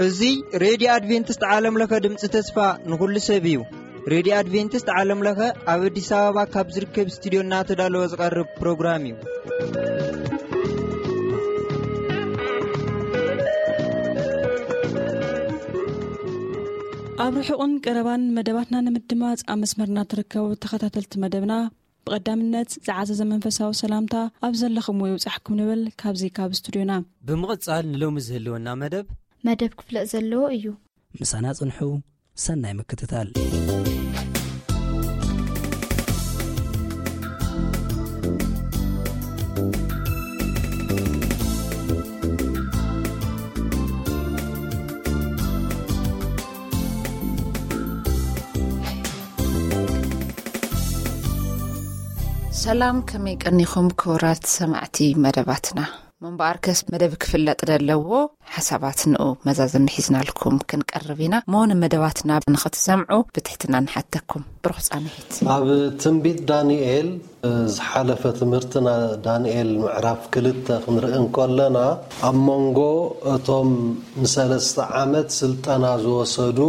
እዚ ሬድዮ ኣድቬንቲስት ዓለም ለኸ ድምፂ ተስፋ ንኹሉ ሰብ እዩ። ሬድዮ ኣድቬንቲስት ዓለም ለኸ ኣብ ኣዲስ ኣበባ ካብ ዝርከብ ስቱዲዮ እናተዳለወ ዝቐርብ ፕሮግራም እዩ። ኣብ ርሑቕን ቀረባን መደባትና ንምድማፅ ኣብ መስመርና ትርከቡ ተኸታተልቲ መደብና፣ ብቐዳምነት ዝዓዘዘ መንፈሳዊ ሰላምታ ኣብ ዘለኹምዎ ይብጻሕኩም ንብል ካብዚ ካብ ስቱዲዮና። ብምቕጻል ንሎሚ ዝህልወና መደብ መደብ ክፍለጥ ዘለዎ እዩ። ምሳና ጽንሑ፣ ሰናይ ምክትታል። ሰላም፣ ከመይ ቀኒኹም ክቡራት ሰማዕቲ መደባትና? ምንባኣርከስ መደብ ክፍለጥ ዘለዎ ሓሳባት ንኡ መዛዘሚ ሒዝናልኩም ክንቀርብ ኢና። እሞ ንመደባትና ንኽትሰምዑ ብትሕትና ንሓተኩም። ብሩኽ ጻንሒት። ኣብ ትንቢት ዳንኤል፣ ዝሓለፈ ትምህርትና ዳንኤል ምዕራፍ ክልተ ክንርኢ እንከለና፣ ኣብ መንጎ እቶም ንሰለስተ ዓመት ስልጠና ዝወሰዱ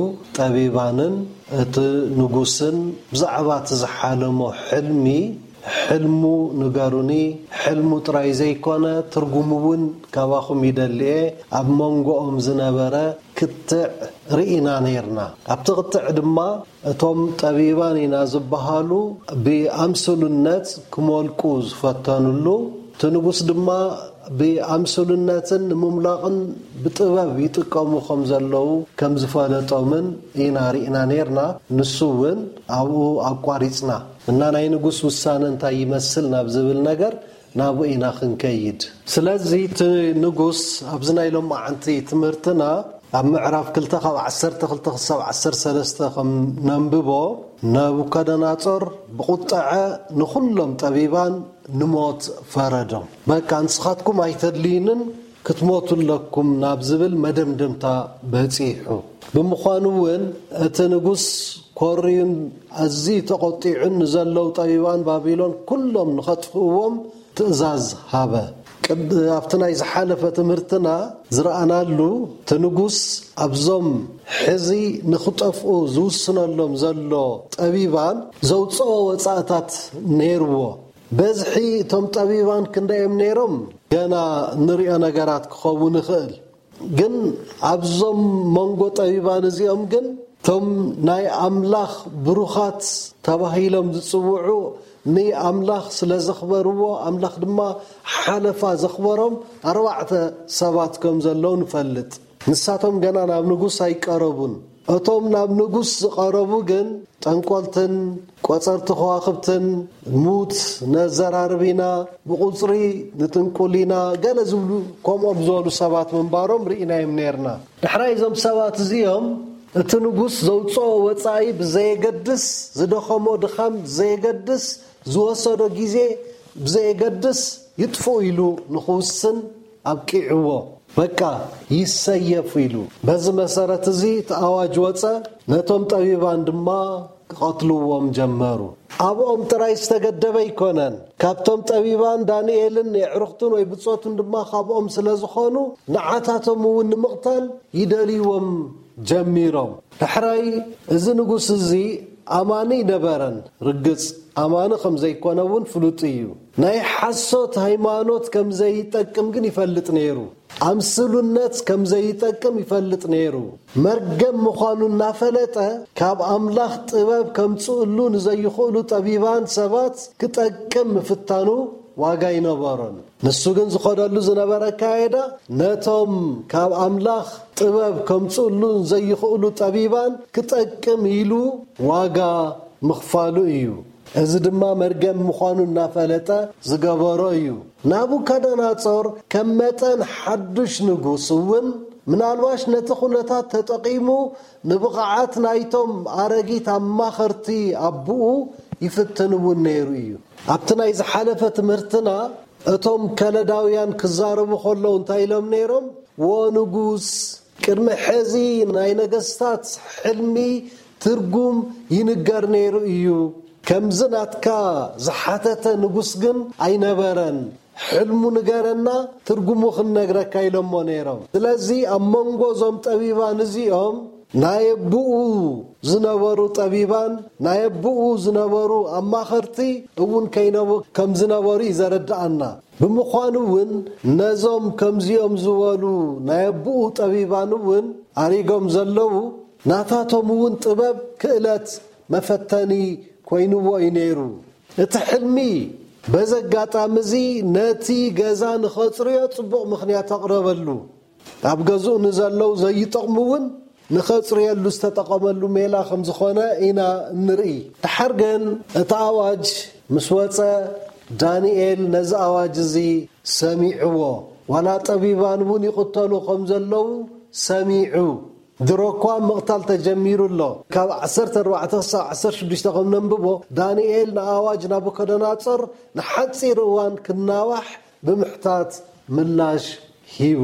ጠቢባንን እቲ ንጉስን ብዛዕባ እቲ ዝሓለሞ ሕልሚ፣ ሕልሙ ንገሩኒ፣ ሕልሙ ጥራይ ዘይኮነ ትርጉሙ እውን ካባኹም ይደሊ እየ፣ ኣብ መንጎኦም ዝነበረ ክትዕ ርኢና ነይርና። ኣብቲ ክትዕ ድማ እቶም ጠቢባን ኢና ዝበሃሉ ብኣምስሉነት ክመልቁ ዝፈተኑሉ፣ እቲ ንጉስ ድማ ብኣምስሉነትን ንምምላቕን ብጥበብ ይጥቀሙ ከም ዘለዉ ከም ዝፈለጦምን ኢና ርኢና ነይርና። ንሱ እውን ኣብኡ ኣቋሪጽና እና ናይ ንጉስ ውሳነ እንታይ ይመስል ናብ ዝብል ነገር ናብኡ ኢና ክንከይድ። ስለዚ እቲ ንጉስ ኣብዚ ናይ ሎማዓንቲ ትምህርትና ኣብ ምዕራፍ ክልተ ካብ ዓሰርተ ክልተ ክሳብ ዓሰርተ ሰለስተ ከም ነንብቦ፣ ነቡከደናጾር ብቁጠዐ ንኹሎም ጠቢባን ንሞት ፈረዶም። በቃ ንስኻትኩም ኣይተድልዩንን፣ ክትሞቱ ኣለኩም ናብ ዝብል መደምደምታ በጺሑ። ብምዃኑ እውን እቲ ንጉስ ኮርዩን ኣዝዩ ተቖጢዑን ንዘለዉ ጠቢባን ባቢሎን ኩሎም ንኸጥፍእዎም ትእዛዝ ሃበ። ቅድ-፣ ኣብቲ ናይ ዝሓለፈ ትምህርትና ዝረኣናሉ፣ እቲ ንጉስ ኣብዞም ሕዚ ንኽጠፍኡ ዝውስነሎም ዘሎ ጠቢባን ዘውፅኦ ወፃእታት ነይርዎ። በዝሒ እቶም ጠቢባን ክንደዮም ነይሮም ገና ንሪኦ ነገራት ክኸውን ይኽእል። ግን ኣብዞም መንጎ ጠቢባን እዚኦም ግን እቶም ናይ ኣምላኽ ብሩኻት ተባሂሎም ዝጽውዑ ንኣምላኽ ስለ ዘኽበርዎ፣ ኣምላኽ ድማ ሓለፋ ዘኽበሮም ኣርባዕተ ሰባት ከም ዘለዉ ንፈልጥ። ንሳቶም ገና ናብ ንጉስ ኣይቀረቡን። እቶም ናብ ንጉስ ዝቐረቡ ግን ጠንቆልትን ቆጸርቲ ከዋኽብትን፣ ሙት ነዘራርብ ኢና፣ ብቑጽሪ ንጥንቁል ኢና፣ ገለ ዝብሉ ከምኦም ዝበሉ ሰባት ምንባሮም ርኢናዮም ነይርና። ዳሕራይ እዞም ሰባት እዚኦም እቲ ንጉስ ዘውፅኦ ወፃኢ ብዘየገድስ፣ ዝደኸሞ ድኻም ብዘየገድስ፣ ዝወሰዶ ግዜ ብዘየገድስ ይጥፍኡ ኢሉ ንኽውስን ኣብቂዕዎ። በቃ ይሰየፉ ኢሉ። በዚ መሰረት እዚ እቲ ኣዋጅ ወፀ፣ ነቶም ጠቢባን ድማ ክቐትልዎም ጀመሩ። ኣብኦም ጥራይ ዝተገደበ ኣይኮነን። ካብቶም ጠቢባን ዳንኤልን የዕሩኽቱን ወይ ብጾቱን ድማ ካብኦም ስለ ዝኾኑ ንዓታቶም እውን ንምቕታል ይደልይዎም ጀሚሮም። ዳሕራይ እዚ ንጉስ እዚ ኣማኒ ነበረን። ርግጽ ኣማኒ ከም ዘይኮነ እውን ፍሉጥ እዩ። ናይ ሓሶት ሃይማኖት ከም ዘይጠቅም ግን ይፈልጥ ነይሩ። ኣምስሉነት ከም ዘይጠቅም ይፈልጥ ነይሩ። መርገም ምዃኑ እናፈለጠ ካብ ኣምላኽ ጥበብ ከምጽእሉ ንዘይኽእሉ ጠቢባን ሰባት ክጠቅም ምፍታኑ ዋጋ ኣይነበሮን። ንሱ ግን ዝኸደሉ ዝነበረ ኣካያይዳ ነቶም ካብ ኣምላኽ ጥበብ ከምጽእሉ ዘይኽእሉ ጠቢባን ክጠቅም ኢሉ ዋጋ ምኽፋሉ እዩ። እዚ ድማ መርገም ምዃኑ እናፈለጠ ዝገበሮ እዩ። ናቡከደነጾር ከም መጠን ሓዱሽ ንጉስ እውን ምናልባሽ ነቲ ኩነታት ተጠቒሙ ንብቕዓት ናይቶም ኣረጊት ኣማኸርቲ ኣቦኡ ይፍትን እውን ነይሩ እዩ። ኣብቲ ናይ ዝሓለፈ ትምህርትና እቶም ከለዳውያን ክዛረቡ ከለዉ እንታይ ኢሎም ነይሮም? "ዎ ንጉስ፣ ቅድሚ ሕዚ ናይ ነገስታት ሕልሚ ትርጉም ይንገር ነይሩ እዩ። ከምዚ ናትካ ዝሓተተ ንጉስ ግን ኣይነበረን። ሕልሙ ንገረና፣ ትርጉሙ ክንነግረካ ኢሎሞ ነይሮም። ስለዚ ኣብ መንጎ እዞም ጠቢባን እዚኦም ናይ ኣቦኡ ዝነበሩ ጠቢባን ናይ ኣቦኡ ዝነበሩ ኣማኸርቲ እውን ከይነበ-፣ ከም ዝነበሩ እዩ ዘረድኣና። ብምዃኑ እውን ነዞም ከምዚኦም ዝበሉ ናይ ኣቦኡ ጠቢባን እውን ኣሪጎም ዘለዉ ናታቶም እውን ጥበብ ክእለት መፈተኒ ኮይንዎ እዩ ነይሩ። እቲ ሕልሚ በዚ ኣጋጣሚ እዚ ነቲ ገዛ ንኸጽርዮ ጽቡቕ ምኽንያት ኣቕረበሉ። ኣብ ገዝኡ ንዘለዉ ዘይጠቕሙ እውን ንኸጽርየሉ ዝተጠቐመሉ ሜላ ከም ዝኾነ ኢና እንርኢ። ድሓር ግን እቲ ኣዋጅ ምስ ወጸ፣ ዳንኤል ነዚ ኣዋጅ እዚ ሰሚዕዎ። ዋላ ጠቢባን እውን ይቕተሉ ከም ዘለዉ ሰሚዑ። ድሮ እኳ ምቕታል ተጀሚሩ ኣሎ። ካብ ዓሰርተ ኣርባዕተ ክሳብ ዓሰርተ ሽዱሽተ ከም ነንብቦ፣ ዳንኤል ንኣዋጅ ናቡከደነጾር ንሓጺር እዋን ክናዋሕ ብምሕታት ምላሽ ሂቡ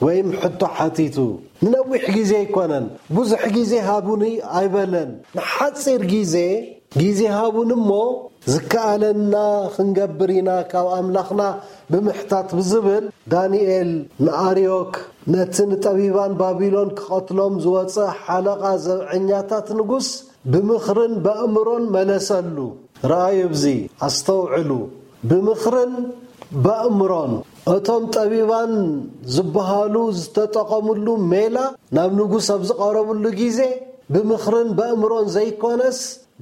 ወይም ሕቶ ሓቲቱ። ንነዊሕ ግዜ ኣይኮነን፣ ብዙሕ ግዜ ሃቡኒ ኣይበለን። ንሓጺር ግዜ፣ ግዜ ሃቡኒ እሞ ዝከኣለና ክንገብር ኢና ካብ ኣምላኽና ብምሕታት ብዝብል፣ ዳንኤል ንኣርዮክ ነቲ ንጠቢባን ባቢሎን ክቐትሎም ዝወጸ ሓለቓ ዘብዐኛታት ንጉስ ብምኽርን በእምሮን መለሰሉ። ረኣዩ፣ ኣብዚ ኣስተውዕሉ። ብምኽርን በእምሮን እቶም ጠቢባን ዝበሃሉ ዝተጠቐምሉ ሜላ ናብ ንጉስ ኣብ ዝቐረብሉ ግዜ ብምኽርን በእምሮን ዘይኮነስ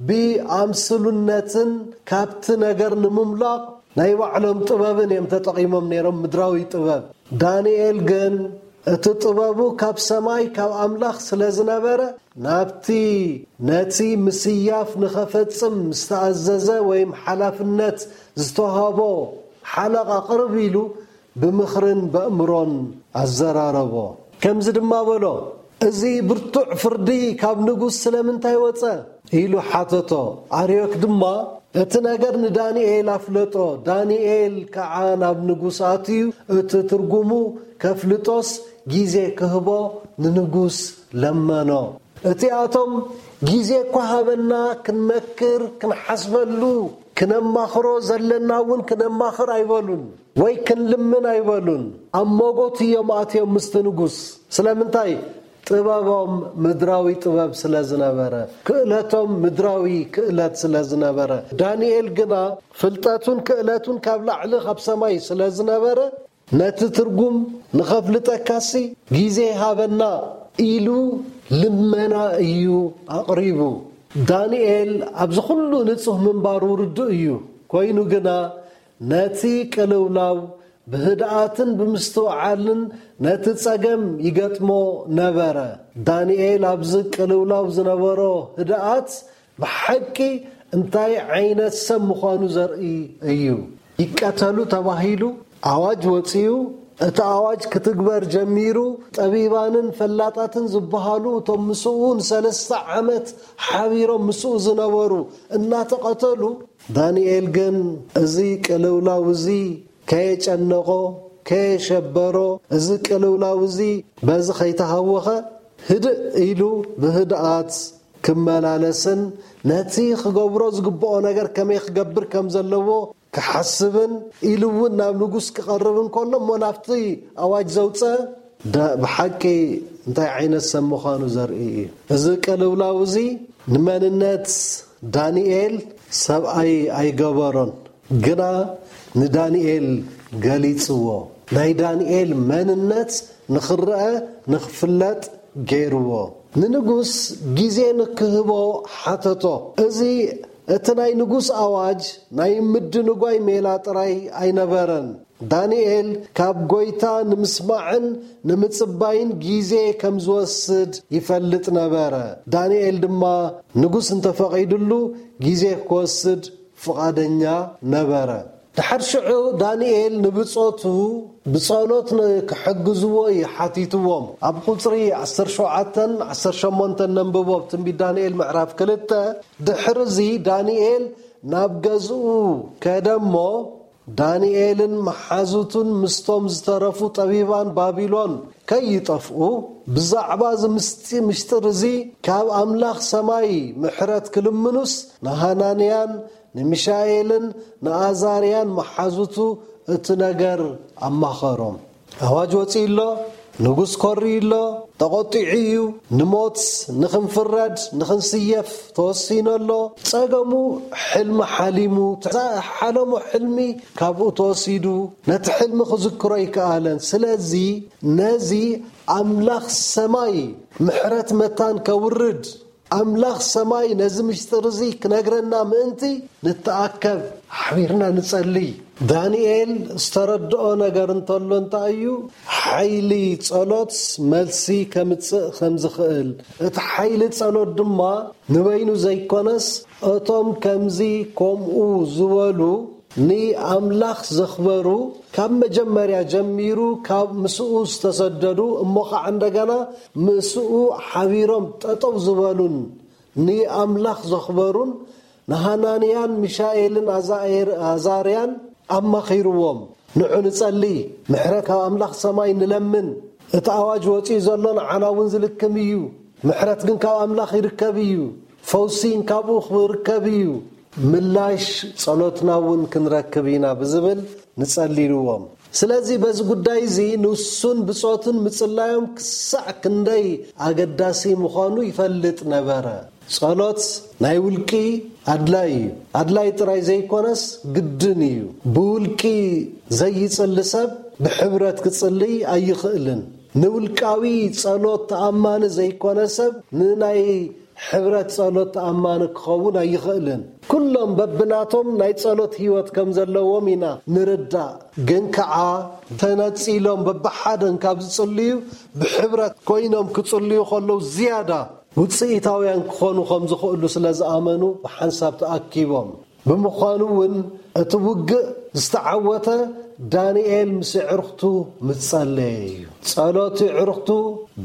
ብኣምስሉነትን ካብቲ ነገር ንምምላቕ ናይ ባዕሎም ጥበብን እዮም ተጠቒሞም ነይሮም፣ ምድራዊ ጥበብ። ዳንኤል ግን እቲ ጥበቡ ካብ ሰማይ ካብ ኣምላኽ ስለ ዝነበረ ናብቲ ነቲ ምስያፍ ንኸፈጽም ዝተኣዘዘ ወይም ሓላፍነት ዝተዋህቦ ሓለቓ ቅርብ ኢሉ ብምኽርን በእምሮን ኣዘራረቦ። ከምዚ ድማ በሎ፣ "እዚ ብርቱዕ ፍርዲ ካብ ንጉስ ስለምንታይ ወጸ?" ኢሉ ሓተቶ። ኣርዮክ ድማ እቲ ነገር ንዳንኤል ኣፍለጦ። ዳንኤል ከዓ ናብ ንጉስ ኣትዩ እቲ ትርጉሙ ከፍልጦስ ግዜ ክህቦ ንንጉስ ለመኖ። እቲኣቶም ግዜ እኳ ሃበና፣ ክንመክር፣ ክንሓስበሉ፣ ክነማኽሮ ዘለና እውን ክነማኽር ኣይበሉን ወይ ክንልምን ኣይበሉን። ኣብ መጎት እዮም ኣትዮም ምስቲ ንጉስ። ስለምንታይ? ጥበቦም ምድራዊ ጥበብ ስለ ዝነበረ፣ ክእለቶም ምድራዊ ክእለት ስለ ዝነበረ፣ ዳንኤል ግና ፍልጠቱን ክእለቱን ካብ ላዕሊ ካብ ሰማይ ስለ ዝነበረ፣ ነቲ ትርጉም ንኸፍልጠካሲ ግዜ ሃበና ኢሉ ልመና እዩ ኣቕሪቡ። ዳንኤል ኣብዚ ኩሉ ንጹህ ምንባሩ ርዱእ እዩ። ኮይኑ ግና ነቲ ቅልውላው ብህድኣትን ብምስትውዓልን ነቲ ጸገም ይገጥሞ ነበረ። ዳንኤል ኣብዚ ቅልውላው ዝነበሮ ህድኣት ብሓቂ እንታይ ዓይነት ሰብ ምዃኑ ዘርኢ እዩ። ይቀተሉ ተባሂሉ ኣዋጅ ወጺኡ፣ እቲ ኣዋጅ ክትግበር ጀሚሩ፣ ጠቢባንን ፈላጣትን ዝበሃሉ እቶም ምስኡ ንሰለስተ ዓመት ሓቢሮም ምስኡ ዝነበሩ እናተቐተሉ፣ ዳንኤል ግን እዚ ቅልውላው እዚ ከየጨነቖ፣ ከየሸበሮ፣ እዚ ቅልውላው እዚ በዚ ከይተሃወኸ፣ ህድእ ኢሉ ብህድኣት ክመላለስን ነቲ ክገብሮ ዝግብኦ ነገር ከመይ ክገብር ከም ዘለዎ ክሓስብን ኢሉ እውን ናብ ንጉስ ክቐርብ እንከሎ እሞ ናብቲ ኣዋጅ ዘውፀ ዳ-፣ ብሓቂ እንታይ ዓይነት ሰብ ምዃኑ ዘርኢ እዩ። እዚ ቅልውላው እዚ ንመንነት ዳንኤል ሰብኣይ ኣይገበሮን፣ ግና ንዳንኤል ገሊጽዎ። ናይ ዳንኤል መንነት ንኽረአ ንኽፍለጥ ገይርዎ። ንንጉስ ግዜ ንክህቦ ሓተቶ። እዚ እቲ ናይ ንጉስ ኣዋጅ ናይ ምድንጓይ ሜላ ጥራይ ኣይነበረን። ዳንኤል ካብ ጐይታ ንምስማዕን ንምጽባይን ግዜ ከም ዝወስድ ይፈልጥ ነበረ። ዳንኤል ድማ ንጉስ እንተፈቒዱሉ ግዜ ክወስድ ፍቓደኛ ነበረ። ድሓር ሽዑ ዳንኤል ንብጾቱ ብጸሎት ን-፣ ክሕግዝዎ እዩ ሓቲትዎም። ኣብ ቁጽሪ ዓሰርተ ሸውዓተን ዓሰርተ ሸሞንተን ነንብቦ፣ ኣብ ትንቢት ዳንኤል ምዕራፍ ክልተ። ድሕሪ እዚ ዳንኤል ናብ ገዝኡ ከደ እሞ ዳንኤልን መሓዙቱን ምስቶም ዝተረፉ ጠቢባን ባቢሎን ከይጠፍኡ፣ ብዛዕባ እዚ ምስጢ-፣ ምሽጥር እዚ ካብ ኣምላኽ ሰማይ ምሕረት ክልምኑስ፣ ንሃናንያን ንሚሻኤልን ንኣዛርያን መሓዙቱ እቲ ነገር ኣማኸሮም። ኣዋጅ ወጺኡ ኣሎ፣ ንጉስ ኮሪ ኣሎ፣ ተቖጢዑ እዩ፣ ንሞት ንኽንፍረድ ንኽንስየፍ ተወሲኑ ኣሎ። ጸገሙ፣ ሕልሚ ሓሊሙ፣ ሓለሞ ሕልሚ ካብኡ ተወሲዱ፣ ነቲ ሕልሚ ክዝክሮ ኣይከኣለን። ስለዚ ነዚ ኣምላኽ ሰማይ ምሕረት መታን ከውርድ፣ ኣምላኽ ሰማይ ነዚ ምሽጥር እዚ ክነግረና ምእንቲ ንተኣከብ፣ ሓቢርና ንጸልይ። ዳንኤል ዝተረድኦ ነገር እንተሎ እንታይ እዩ? ሓይሊ ጸሎት መልሲ ከምጽእ ከም ዝኽእል፣ እቲ ሓይሊ ጸሎት ድማ ንበይኑ ዘይኮነስ፣ እቶም ከምዚ ከምኡ ዝበሉ ንኣምላኽ ዘኽበሩ፣ ካብ መጀመርያ ጀሚሩ ካብ ምስኡ ዝተሰደዱ፣ እሞ ኸዓ እንደገና ምስኡ ሓቢሮም ጠጠው ዝበሉን ንኣምላኽ ዘኽበሩን፣ ንሃናንያን ሚሻኤልን ኣዛኤር-፣ ኣዛርያን ኣማኺርዎም። ንዑ ንጸሊ፣ ምሕረት ካብ ኣምላኽ ሰማይ ንለምን። እቲ ኣዋጅ ወጺኡ ዘሎ ንዓና እውን ዝልክም እዩ። ምሕረት ግን ካብ ኣምላኽ ይርከብ እዩ። ፈውሲ ካብኡ ክርከብ እዩ። ምላሽ ጸሎትና እውን ክንረክብ ኢና ብዝብል ንጸሊ ኢልዎም። ስለዚ በዚ ጉዳይ እዚ ንሱን ብጾቱን ምጽላዮም ክሳዕ ክንደይ ኣገዳሲ ምዃኑ ይፈልጥ ነበረ። ጸሎት ናይ ውልቂ ኣድላይ እዩ። ኣድላይ ጥራይ ዘይኮነስ ግድን እዩ። ብውልቂ ዘይጽሊ ሰብ ብሕብረት ክጽልይ ኣይኽእልን። ንውልቃዊ ጸሎት ተኣማኒ ዘይኮነ ሰብ ንናይ ሕብረት ጸሎት ተኣማኒ ክኸውን ኣይኽእልን። ኩሎም በብናቶም ናይ ጸሎት ህይወት ከም ዘለዎም ኢና ንርዳእ። ግን ከኣ ተነጺሎም በብሓደን ካብ ዝጽልዩ፣ ብሕብረት ኮይኖም ክጽልዩ ከለዉ ዝያዳ ውጽኢታውያን ክኾኑ ከም ዝኽእሉ ስለ ዝኣመኑ ብሓንሳብ ተኣኪቦም። ብምዃኑ እውን እቲ ውግእ ዝተዓወተ ዳንኤል ምስ ኣዕሩኽቱ ምስ ጸለየ እዩ። ጸሎት ኣዕሩኽቱ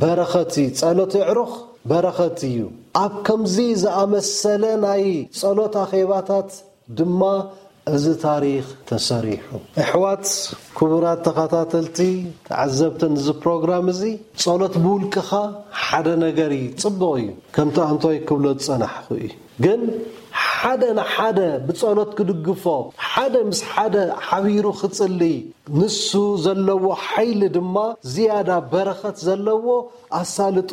በረኸት እዩ። ጸሎት ኣዕሩኽ በረኸት እዩ። ኣብ ከምዚ ዝኣመሰለ ናይ ጸሎት ኣኼባታት ድማ እዚ ታሪኽ ተሰሪሑ። ኣሕዋት፣ ክቡራት ተኸታተልቲ፣ ተዓዘብትን እዚ ፕሮግራም እዚ፣ ጸሎት ብውልቅኻ ሓደ ነገር እዩ፣ ጽቡቕ እዩ። ከምቲ ኣንቶይ ክብሎ ዝጸናሕኩ እዩ። ግን ሓደ ንሓደ ብጸሎት ክድግፎ፣ ሓደ ምስ ሓደ ሓቢሩ ክጽልይ፣ ንሱ ዘለዎ ሓይሊ ድማ ዝያዳ በረኸት ዘለዎ፣ ኣሳልጦ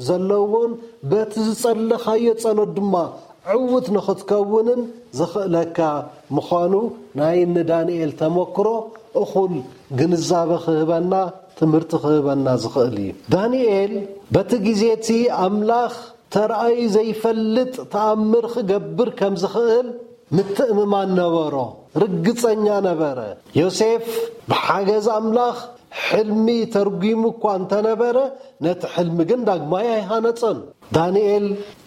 ዘለዎን በቲ ዝጸለኻዮ ጸሎት ድማ ዕዉት ንኽትከውንን ዘኽእለካ ምዃኑ ናይ እኒ ዳንኤል ተመክሮ እኹል ግንዛበ ክህበና፣ ትምህርቲ ክህበና ዝኽእል እዩ። ዳንኤል በቲ ግዜ እቲ ኣምላኽ ተራእዩ ዘይፈልጥ ተኣምር ክገብር ከም ዝኽእል ምትእምማን ነበሮ፣ ርግጸኛ ነበረ። ዮሴፍ ብሓገዝ ኣምላኽ ሕልሚ ተርጒሙ እኳ እንተነበረ፣ ነቲ ሕልሚ ግን ዳግማይ ኣይሃነጾን። ዳንኤል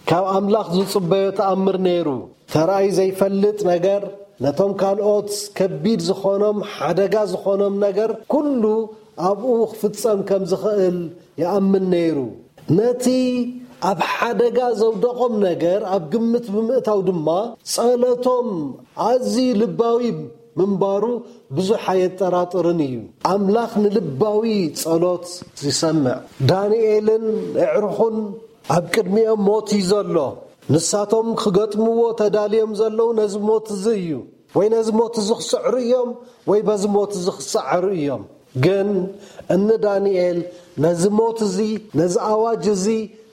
ካብ ኣምላኽ ዝጽበዮ ተኣምር ነይሩ። ተራእዩ ዘይፈልጥ ነገር፣ ነቶም ካልኦት ከቢድ ዝኾኖም፣ ሓደጋ ዝኾኖም ነገር ኩሉ ኣብኡ ክፍጸም ከም ዝኽእል ይኣምን ነይሩ። ነቲ ኣብ ሓደጋ ዘውደቖም ነገር ኣብ ግምት ብምእታው ድማ፣ ጸሎቶም ኣዝዩ ልባዊ ምንባሩ ብዙሕ ኣየጠራጥርን እዩ። ኣምላኽ ንልባዊ ጸሎት ይሰምዕ። ዳንኤልን ኣዕሩኹን ኣብ ቅድሚኦም ሞት እዩ ዘሎ። ንሳቶም ክገጥምዎ ተዳልዮም ዘለዉ ነዚ ሞት እዚ እዩ። ወይ ነዚ ሞት እዚ ክስዕሩ እዮም፣ ወይ በዚ ሞት እዚ ክሰዓሩ እዮም። ግን እኒ ዳንኤል ነዚ ሞት እዚ፣ ነዚ ኣዋጅ እዚ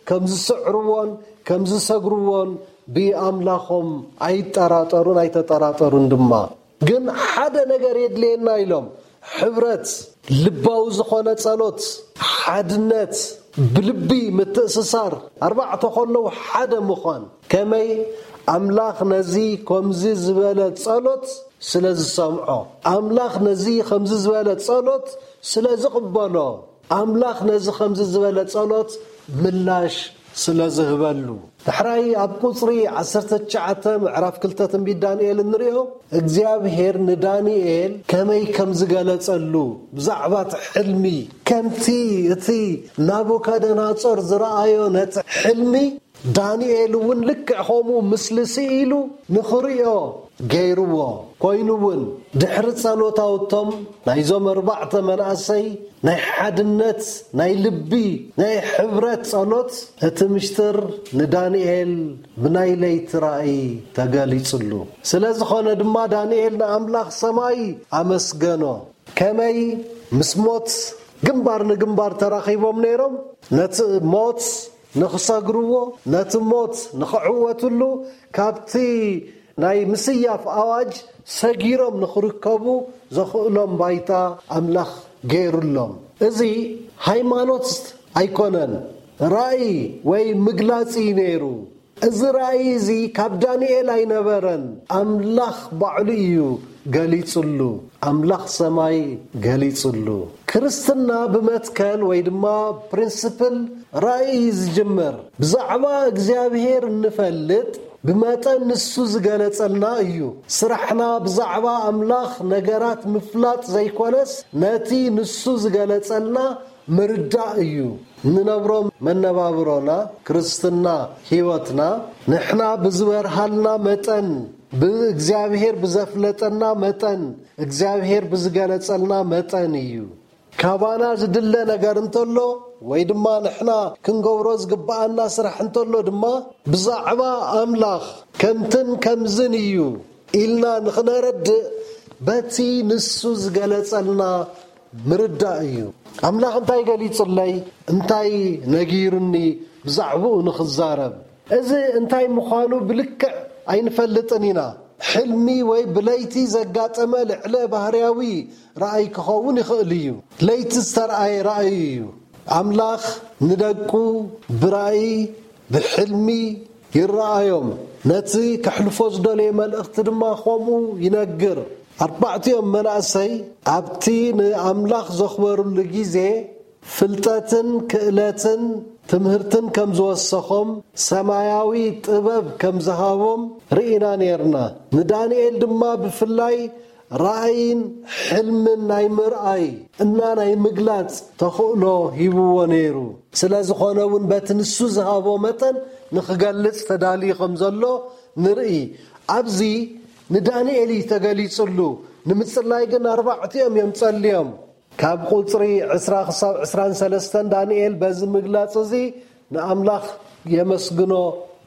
ከም ዝስዕርዎን ከም ዝሰግርዎን ብኣምላኾም ኣይጠራጠሩን ኣይተጠራጠሩን ድማ። ግን ሓደ ነገር የድልየና ኢሎም፣ ሕብረት፣ ልባዊ ዝኾነ ጸሎት፣ ሓድነት፣ ብልቢ ምትእስሳር፣ ኣርባዕተ ከለዉ ሓደ ምዃን። ከመይ? ኣምላኽ ነዚ ከምዚ ዝበለ ጸሎት ስለ ዝሰምዖ፣ ኣምላኽ ነዚ ከምዚ ዝበለ ጸሎት ስለ ዝቕበሎ፣ ኣምላኽ ነዚ ከምዚ ዝበለ ጸሎት ምላሽ ስለ ዝህበሉ። ዳሕራይ ኣብ ቁጽሪ ዓሰርተ ትሽዓተ ምዕራፍ ክልተ ትንቢት ዳንኤል እንሪኦ፣ እግዚኣብሔር ንዳንኤል ከመይ ከም ዝገለጸሉ፣ ብዛዕባ እቲ ሕልሚ፣ ከምቲ እቲ ናቡከደናጾር ዝረኣዮ ነቲ ሕልሚ ዳንኤል እውን ልክዕ ከምኡ ምስሊ ስኢሉ ንኽርእዮ ገይርዎ። ኮይኑ እውን ድሕሪ ጸሎታውቶም ናይዞም ኣርባዕተ መናእሰይ ናይ ሓድነት፣ ናይ ልቢ፣ ናይ ሕብረት ጸሎት እቲ ምሽጥር ንዳንኤል ብናይ ለይቲ ራእይ ተገሊጹሉ። ስለ ዝኾነ ድማ ዳንኤል ንኣምላኽ ሰማይ ኣመስገኖ። ከመይ ምስ ሞት ግንባር ንግንባር ተራኺቦም ነይሮም፣ ነቲ ሞት ንኽሰግርዎ፣ ነቲ ሞት ንኽዕወትሉ፣ ካብቲ ናይ ምስያፍ ኣዋጅ ሰጊሮም ንኽርከቡ ዘኽእሎም ባይታ ኣምላኽ ገይሩሎም። እዚ ሃይማኖት ኣይኮነን፣ ራእይ ወይ ምግላጽ እዩ ነይሩ። እዚ ራእይ እዚ ካብ ዳንኤል ኣይነበረን፣ ኣምላኽ ባዕሉ እዩ ገሊጹሉ፣ ኣምላኽ ሰማይ ገሊጹሉ። ክርስትና ብመትከል ወይ ድማ ፕሪንስፕል ራእይ እዩ ዝጅምር። ብዛዕባ እግዚኣብሔር እንፈልጥ ብመጠን ንሱ ዝገለጸልና እዩ። ስራሕና ብዛዕባ ኣምላኽ ነገራት ምፍላጥ ዘይኮነስ፣ ነቲ ንሱ ዝገለጸልና ምርዳእ እዩ። እንነብሮ መነባብሮና፣ ክርስትና ህይወትና፣ ንሕና ብዝበርሃልና መጠን፣ ብእግዚኣብሔር ብዘፍለጠና መጠን፣ እግዚኣብሔር ብዝገለጸልና መጠን እዩ። ካባና ዝድለ ነገር እንተሎ፣ ወይ ድማ ንሕና ክንገብሮ ዝግብኣና ስራሕ እንተሎ ድማ፣ ብዛዕባ ኣምላኽ ከምትን ከምዝን እዩ ኢልና ንኽነረድእ፣ በቲ ንሱ ዝገለጸልና ምርዳእ እዩ። ኣምላኽ እንታይ ገሊጹለይ፣ እንታይ ነጊሩኒ ብዛዕባኡ ንኽዛረብ። እዚ እንታይ ምዃኑ ብልክዕ ኣይንፈልጥን ኢና። ሕልሚ ወይ ብለይቲ ዘጋጠመ ልዕለ ባህርያዊ ራእይ ክኸውን ይኽእል እዩ። ለይቲ ዝተርኣየ ራእይ እዩ። ኣምላኽ ንደቁ ብራእይ፣ ብሕልሚ ይረኣዮም። ነቲ ከሕልፎ ዝደለየ መልእኽቲ ድማ ከምኡ ይነግር። ኣርባዕቲኦም መናእሰይ ኣብቲ ንኣምላኽ ዘኽበሩሉ ግዜ ፍልጠትን ክእለትን ትምህርትን ከም ዝወሰኾም፣ ሰማያዊ ጥበብ ከም ዝሃቦም ርኢና ኔርና። ንዳንኤል ድማ ብፍላይ ራእይን ሕልምን ናይ ምርኣይ እና ናይ ምግላጽ ተኽእሎ ሂብዎ ነይሩ። ስለ ዝኾነ እውን በቲ ንሱ ዝሃቦ መጠን ንኽገልጽ ተዳልዩ ከም ዘሎ ንርኢ። ኣብዚ ንዳንኤል እዩ ተገሊጹሉ። ንምጽላይ ግን ኣርባዕቲኦም እዮም ጸልዮም። ካብ ቁጽሪ ዕስራ ክሳብ ዕስራን ሰለስተን ዳንኤል በዚ ምግላጽ እዚ ንኣምላኽ የመስግኖ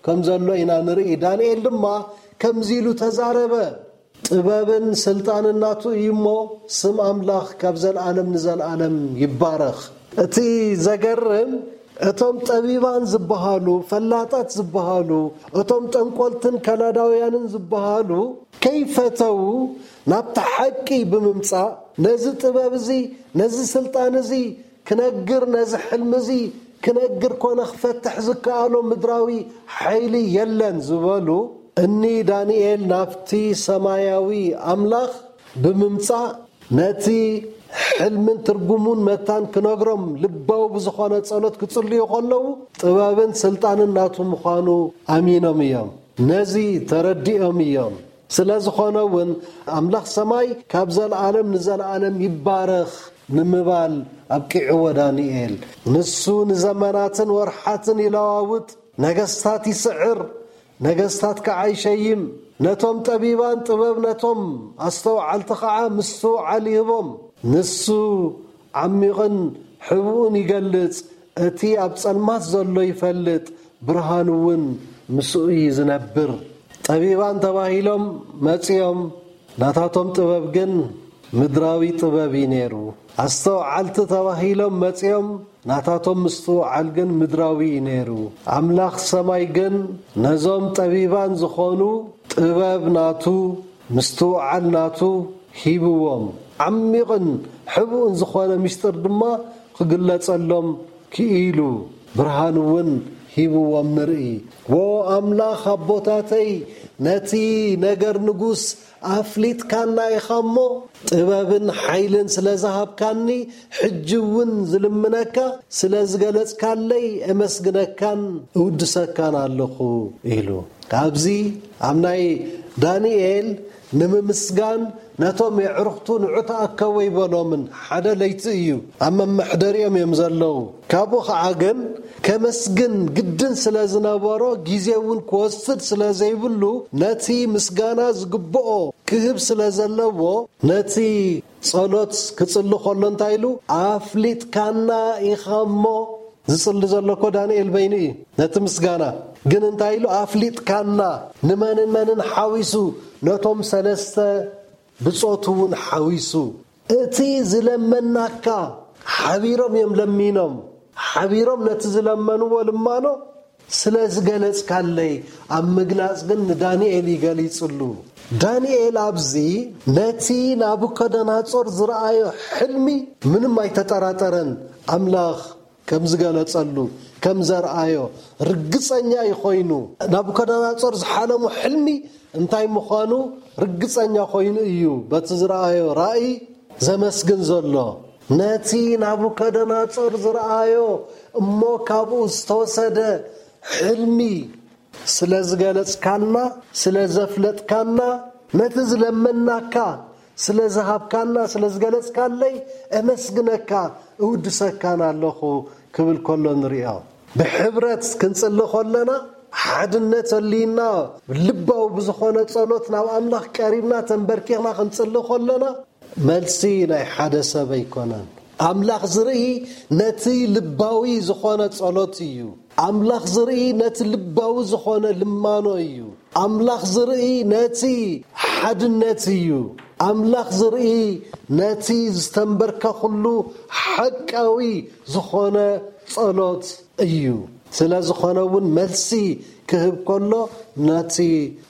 ከም ዘሎ ኢና ንርኢ። ዳንኤል ድማ ከምዚ ኢሉ ተዛረበ። ጥበብን ስልጣንን ናቱ እዩ እሞ፣ ስም ኣምላኽ ካብ ዘለኣለም ንዘለኣለም ይባረኽ። እቲ ዘገርም፣ እቶም ጠቢባን ዝበሃሉ፣ ፈላጣት ዝበሃሉ፣ እቶም ጠንቆልትን ከላዳውያንን ዝበሃሉ ከይፈተዉ ናብቲ ሓቂ ብምምጻእ፣ ነዚ ጥበብ እዚ፣ ነዚ ስልጣን እዚ ክነግር፣ ነዚ ሕልሚ እዚ ክነግር ኮነ ክፈትሕ ዝከኣሎ ምድራዊ ሓይሊ የለን ዝበሉ፣ እኒ ዳንኤል ናብቲ ሰማያዊ ኣምላኽ ብምምጻእ፣ ነቲ ሕልምን ትርጉሙን መታን ክነግሮም ልባዊ ብዝኾነ ጸሎት ክጽልዩ ከለዉ፣ ጥበብን ስልጣንን ናቱ ምዃኑ ኣሚኖም እዮም። ነዚ ተረዲኦም እዮም። ስለ ዝኾነ እውን፣ ኣምላኽ ሰማይ ካብ ዘለኣለም ንዘለኣለም ይባረኽ ንምባል ኣብቂዕዎ ዳንኤል። ንሱ ንዘመናትን ወርሓትን ይለዋውጥ፣ ነገስታት ይስዕር፣ ነገስታት ከዓ ይሸይም። ነቶም ጠቢባን ጥበብ፣ ነቶም ኣስተውዓልቲ ከዓ ምስትውዓል ይህቦም። ንሱ ዓሚቕን ሕቡእን ይገልጽ፣ እቲ ኣብ ጸልማት ዘሎ ይፈልጥ፣ ብርሃን እውን ምስኡ እዩ ዝነብር። ጠቢባን ተባሂሎም መጺኦም፣ ናታቶም ጥበብ ግን ምድራዊ ጥበብ እዩ ነይሩ። ኣስተውዓልቲ ተባሂሎም መጺኦም፣ ናታቶም ምስትውዓል ግን ምድራዊ እዩ ነይሩ። ኣምላኽ ሰማይ ግን ነዞም ጠቢባን ዝኾኑ ጥበብ ናቱ፣ ምስትውዓል ናቱ ሂብዎም። ዓሚቕን ሕቡእን ዝኾነ ምስጢር ድማ ክግለጸሎም ክኢሉ፣ ብርሃን እውን ሂብዎም ንርኢ። ዎ ኣምላኽ ኣቦታተይ፣ ነቲ ነገር ንጉስ ኣፍሊጥካና ኢኻ እሞ፣ ጥበብን ሓይልን ስለ ዝሃብካኒ፣ ሕጂ እውን ዝልምነካ ስለ ዝገለጽካለይ፣ እመስግነካን እውድሰካን ኣለኹ ኢሉ። ኣብዚ ኣብ ናይ ዳንኤል ንምምስጋን ነቶም የዕርኽቱ ንዑ ተኣከቡ ይበሎምን ሓደ ለይቲ እዩ። ኣብ መመሕደሪኦም እዮም ዘለዉ። ካብኡ ኸዓ ግን ከመስግን ግድን ስለ ዝነበሮ ግዜ እውን ክወስድ ስለ ዘይብሉ ነቲ ምስጋና ዝግብኦ ክህብ ስለ ዘለዎ ነቲ ጸሎት ክጽሊ ከሎ እንታይ ኢሉ ኣፍሊጥካና ኢኻ እሞ ዝጽሊ ዘሎ እኮ ዳንኤል በይኑ እዩ ነቲ ምስጋና ግን እንታይ ኢሉ ኣፍሊጥካና ንመንን መንን ሓዊሱ ነቶም ሰለስተ ብጾቱ እውን ሓዊሱ እቲ ዝለመናካ ሓቢሮም እዮም ለሚኖም ሓቢሮም ነቲ ዝለመንዎ ልማኖ ስለ ዝገለጽካለይ ኣብ ምግላጽ ግን ንዳንኤል ይገሊጽሉ። ዳንኤል ኣብዚ ነቲ ናቡከደናጾር ዝረኣዮ ሕልሚ ምንም ኣይተጠራጠረን። ኣምላኽ ከም ዝገለጸሉ ከም ዘርኣዮ ርግጸኛ እዩ ኮይኑ። ናቡከደናጾር ዝሓለሞ ሕልሚ እንታይ ምዃኑ ርግጸኛ ኮይኑ እዩ በቲ ዝረኣዮ ራእይ ዘመስግን ዘሎ። ነቲ ናቡከደናጾር ዝረኣዮ እሞ ካብኡ ዝተወሰደ ሕልሚ ስለ ዝገለጽካልና፣ ስለ ዘፍለጥካና፣ ነቲ ዝለመናካ ስለ ዝሃብካና፣ ስለ ዝገለጽካለይ እመስግነካ፣ እውድሰካን ኣለኹ ክብል ከሎ ንሪኦ። ብሕብረት ክንጽሊ ከለና፣ ሓድነት ኣልይና ልባዊ ብዝኾነ ጸሎት ናብ ኣምላኽ ቀሪብና ተንበርኪኽና ክንጽሊ ከለና፣ መልሲ ናይ ሓደ ሰብ ኣይኮነን። ኣምላኽ ዝርኢ ነቲ ልባዊ ዝኾነ ጸሎት እዩ። ኣምላኽ ዝርኢ ነቲ ልባዊ ዝኾነ ልማኖ እዩ። ኣምላኽ ዝርኢ ነቲ ሓድነት እዩ። ኣምላኽ ዝርኢ ነቲ ዝተንበርከኹሉ ሓቃዊ ዝኾነ ጸሎት እዩ። ስለ ዝኾነ እውን መልሲ ክህብ ከሎ ነቲ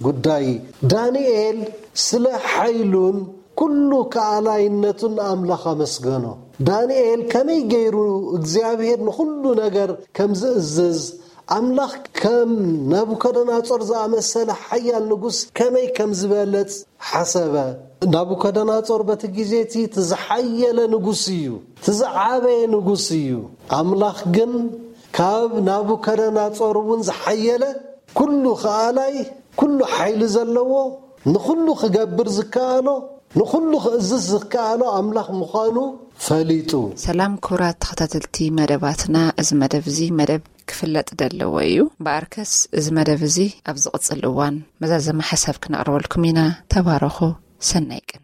ጉዳይ ዳንኤል ስለ ሓይሉን ኩሉ ከኣላይነቱን ንኣምላኽ ኣመስገኖ። ዳንኤል ከመይ ገይሩ እግዚኣብሔር ንኹሉ ነገር ከም ዝእዝዝ፣ ኣምላኽ ከም ናቡከደናጾር ዝኣመሰለ ሓያል ንጉስ ከመይ ከም ዝበለጽ ሓሰበ። ናቡከደናጾር በቲ ግዜ እቲ እቲ ዝሓየለ ንጉስ እዩ፣ እቲ ዝዓበየ ንጉስ እዩ። ኣምላኽ ግን ካብ ናቡከደናጾር እውን ዝሓየለ፣ ኩሉ ከኣላይ፣ ኩሉ ሓይሊ ዘለዎ፣ ንኹሉ ክገብር ዝከኣሎ፣ ንኹሉ ክእዝዝ ዝከኣሎ ኣምላኽ ምዃኑ ፈሊጡ። ሰላም ክቡራት ተኸታተልቲ መደባትና፣ እዚ መደብ እዚ መደብ ክፍለጥ ዘለዎ እዩ። እምበኣርከስ እዚ መደብ እዚ ኣብ ዝቕጽል እዋን መዛዘሚ ሓሳብ ክነቕርበልኩም ኢና። ተባረኹ። ሰናይ ቅነ።